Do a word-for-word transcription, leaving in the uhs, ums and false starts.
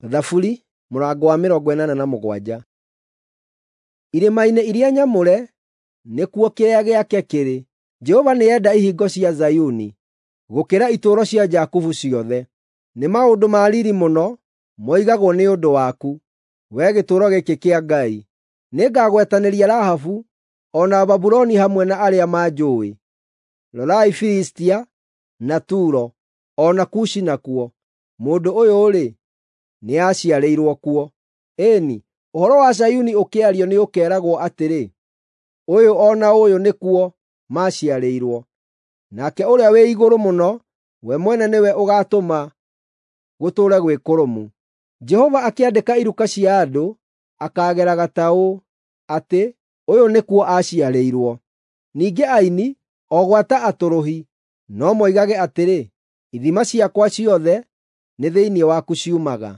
Thaburi mũrango wa mĩrongo ĩnana na mũgwanja. Irĩma-inĩ iria nyamũre nĩkuo kĩrĩa gĩake kĩrĩ. Jehova nĩenda ihingo cia Zayuni gũkĩra itũũro cia Jakubu ciothe. Nĩ maũndũ ma riiri mũno moigagwo nĩ ũndũ waku, wee gĩtũũro gĩkĩ kĩa Ngai. Nĩngagwetanĩria Rahabu o na Babuloni hamwe na arĩa manjũũĩ. Rorai Filistia na Turo, o na Kushi nakuo, mũndũ ũyũ-rĩ, nĩaciarĩirwo kuo. Ĩĩ-ni, ũhoro wa Zayuni ũkĩario nĩũkeeragwo atĩrĩ, “Ũyũ o na ũyũ nĩkuo maaciarĩirwo.” Nake Ũrĩa-wĩ-Igũrũ-Mũno we mwene nĩwe ũgaatũma gũtũũre gwĩ kũrũmu. Jehova akĩandĩka iruka cia andũ, akaageraga ta ũũ, atĩ, “Ũyũ nĩkuo aaciarĩirwo.” Ningĩ aini, o gwata atũrũhi, no moigage atĩrĩ, “Ithima ciakwa ciothe nĩ thĩinĩ waku ciumaga.”